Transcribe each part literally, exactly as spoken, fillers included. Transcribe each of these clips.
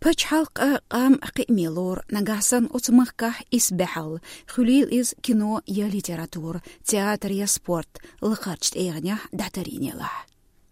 Пачхьалкх а, къам а кхиаме лору, нагахь санна оцу махкахь исбаьхьалла, хуьлийла иза кино я литература, театр я спорт, лакхарчу тӀегӀанехь дӀатарйинехь.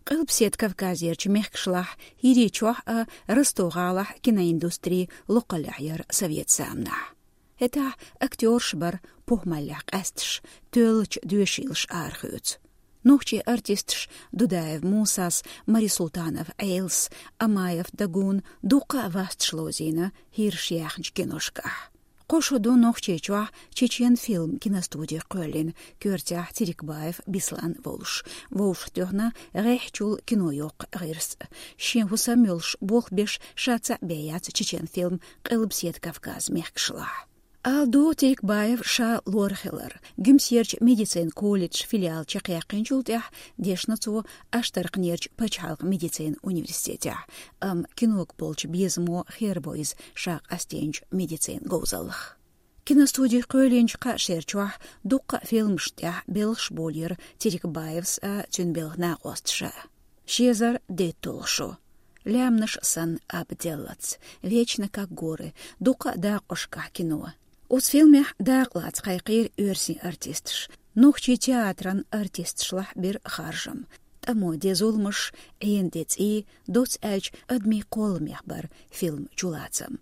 Къилбаседа Кавказерчу мехкашлахь, ХӀирийчохь а, Ростов-гӀалахь киноиндустрия локхаллехь яра совет заманахь. ХӀетахь актёраш бара похӀмаллехь къаьсташ, тоьллачу доьшийлаша арахоьцу. Нохчийн артисташ Дудаев Мусас, Мари Султанов Ӏелас, Амаев Дагун дуккха а васташ ловзийна хӀираш яьхначу киношкахь. Кхо шо ду Нохчийчохь «Чечен-фильм» киностуди кхоьллина, коьртехь Терекбаев Беслан волуш. Вовшахтоьхна гӀеххьачул кино йоккху гӀирс. Шен хӀусам йолуш, болх беш, ша цхьаъ бен яц «Чечен-фильм» Къилбаседа Кавказ мехкашлахь. Ала ду, Терекбаев ша лор хилар. Гуьмсерчу медицинан колледжан филиал чекхъяьккхинчул тӀаьхьа дешна цо Аштаркхнерчу пачхьалкхан медицинан университетехь, амма кинога болчу безамо хербо иза ша къастийначу медицинан говзаллах. Киностуди кхоьллинчу кхаа шерчохь дуккха а фильмашна тӀехь белхаш болийра Терекбаевс а, цуьнан белхан накъосташа. Ши эзар дейтталгӀа шо. «Лаьмнаш санна абаделлац», «Вечно как горы», дуккха а дакъошкахь кино. Оцу фильмехь дакъалаца кхайкхийра оьрсийн артисташ. Нохчийн театран артисташлахь бира харжам. ТӀамо де зуламаш, Ӏена де цӀий, доцца аьлча, адамийн кхолламех бара фильман чулацам.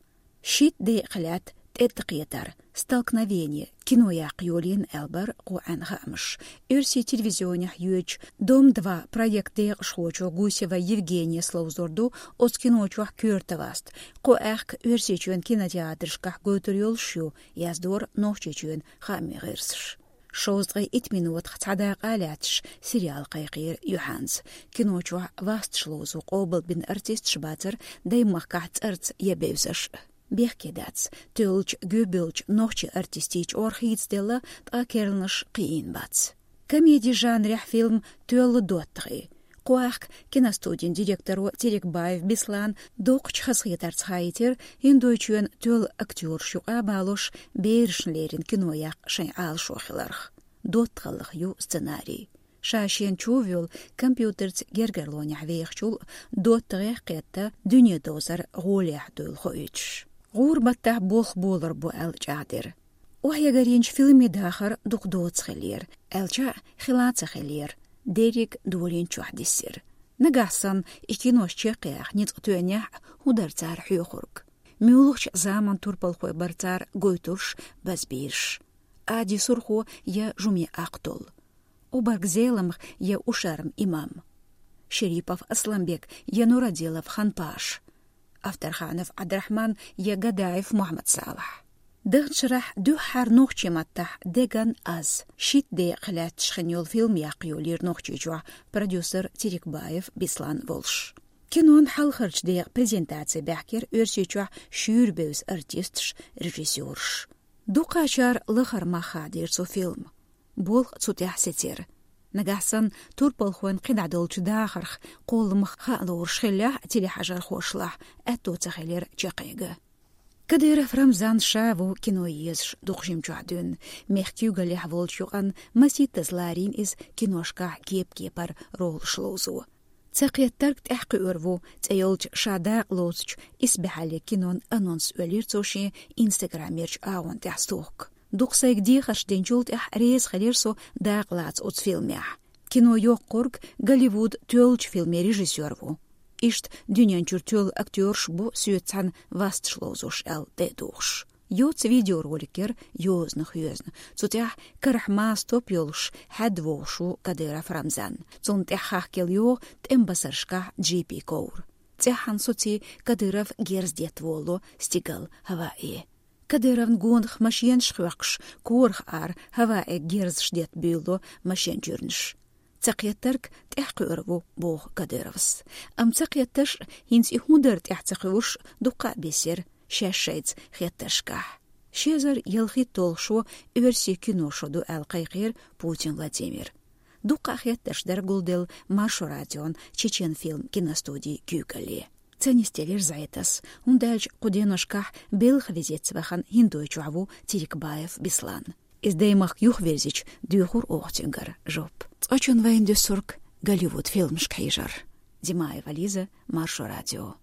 Шийтта декъа лаьтта тӀетта кхетар, «Столкновение», кино яккха йолийна аьлла бара кху Ӏаьнан хаамаш. Оьрсийн телевизионехь йоьдучу «Дом-два» проектан декъашхочо Гусева Евгенияс ловзор ду оцу кино чохь коьрта васт. Кхо аьхка Оьрсийчоьнан кинотеатрашкахь гойтур йолуш ю, яздора Нохчийчоьнан хаамийн гӀирсаша. Шовзткъе итт минотах цхьа дакъа а лаьтташ, сериал кхайкхийра юьхьанца. Кино чохь васташ ловзо къобалбина артисташ бацара даймахкахь цӀарца я бевзаш. Бехке дац, тоьллачу, гуьбевллачу нохчийн артистийн чкъор хийцаделла, ткъа керланаш кхиийна бац. Комеди жанрехь фильм «Тоьлла доттагӀий». Кху аьхка киностудин директоро Терекбаев Беслана доккхачу хазахетарца хаийтира, ХӀиндойчоьнан тоьлла актёраш юкъа а балош, берашна леррина кино яккха шайн Ӏалашо хиларх. ДоттагӀаллах ю сценарий. Ша шена чу а воьлла, компьютерца гергарлонехь вехачул, доттагӀех кхетта, дуьне дозар гӀолехь дуйла хоуьйтуш. ГӀура баттахь болх болор бу аьлла чӀагӀдира. Охьаэгарйинчу фильмийн дахар дукха доца хиллера, аьлча а хила а ца хиллера, дерриг долийначохь диссира. Нагахь санна и кинош чекхъяха ницкъ тоьнехь а, хӀун дара цара хьоьхург? Муьлхачу заманан турпалхой бара цара гойтурш, базбийраш? Ади Сурхо я Жуме Ахтул? Убарг Зеламха я Ушарма Имам? Шерипов Асланбек я Нурадилов Ханпаш? Авторханов Ӏабдрахьман я Гадаев Мухьаммад-Салахь? Даханчу шарахь дуьххьара нохчийн маттахь «Деган аз» шийтта декъа лаьтташ хин йолу фильм яккха йолийра Нохчийчохь продюсер Терекбаев Беслан волуш. Кинон хьалхарчу декъан презентаци баьхкира Оьрсийчохь шуьйра бевза артисташ, режиссёраш. Дукхачара лахара мах хадийра цу фильма. Болх цу тӀехь сецира. Нагахь санна турпалхойн кхидӀа долчу дахарх, кхолламах хаа лоруш хиллехь а телехьажархошлахь, аьтто ца хилира чекхъяга. Кадыров Рамзан ша ву кино езаш дукха жимчохь дуьйна. Мехкан куьйгаллехь волчу юкъанна масийттаза ларийна иза киношкахь кеп-кепара ролаш ловзо. «Ца кхеттарг тӀаьхьакхуьур ву» цӀе йолчу ша дакъа лоцучу исбаьхьаллин кинон анонс оьллира цо шен инстаграмерчу агӀон тӀехь стохка. Дукха сайга дехарш динчул тӀаьхьа реза хилира со дакъа лаца оцу фильмехь. Кино йоккхург Голливуд тоьллачу фильмийн режиссёр ву. Иштта дуьнен чуьра тоьлла актёраш бу соьца цхьаьна васташ ловзош аьлла тӀе а тухуш. Йоцу видеоролик яра йозанах йоьзна. Цу тӀехь карахь маса топ йолуш, хьаьдда вогӀуш ву Кадыров Рамзан. Цунна тӀехь хахкаелла йогӀу тӀеман басаршкахь джипийн ковр. ЦӀеххьана соций Кадыров герз детта волало стигал хӀаваэ. Кадыровн гонах машенаш хоьхкуш, корах ара хӀаваэ герзаш детта буьйлало машен чуьрнаш. «Ца кхеттарг тӀаьхьакхуьур ву», — боху Кадыровс. Амма ца кхеттарш, хӀинца и хӀун дара тӀаьхьа ца кхуьуш, дуккха а бисира шаьш шайца хеттаршкахь. Ши эзар ялхитталгӀа шо оьрсийн кино шо ду аьлла кхайкхийра Путин Владимир. Дуккха а хеттарш дара гулделла Маршо радион «Чечен-фильм» киностудин куьйгалле. Ца нисделира зӀе тасс, хӀунда аьлча кху деношкахь белхан визитца вахана ХӀиндойчохь ву Терекбаев Беслан. Иза даймахка юхавирзича, доьхур оха цуьнгара жоп. Цкъачунна вайна дуьсург Голливуд фильмашка хьежар. Димаева Лиза, Маршо радио.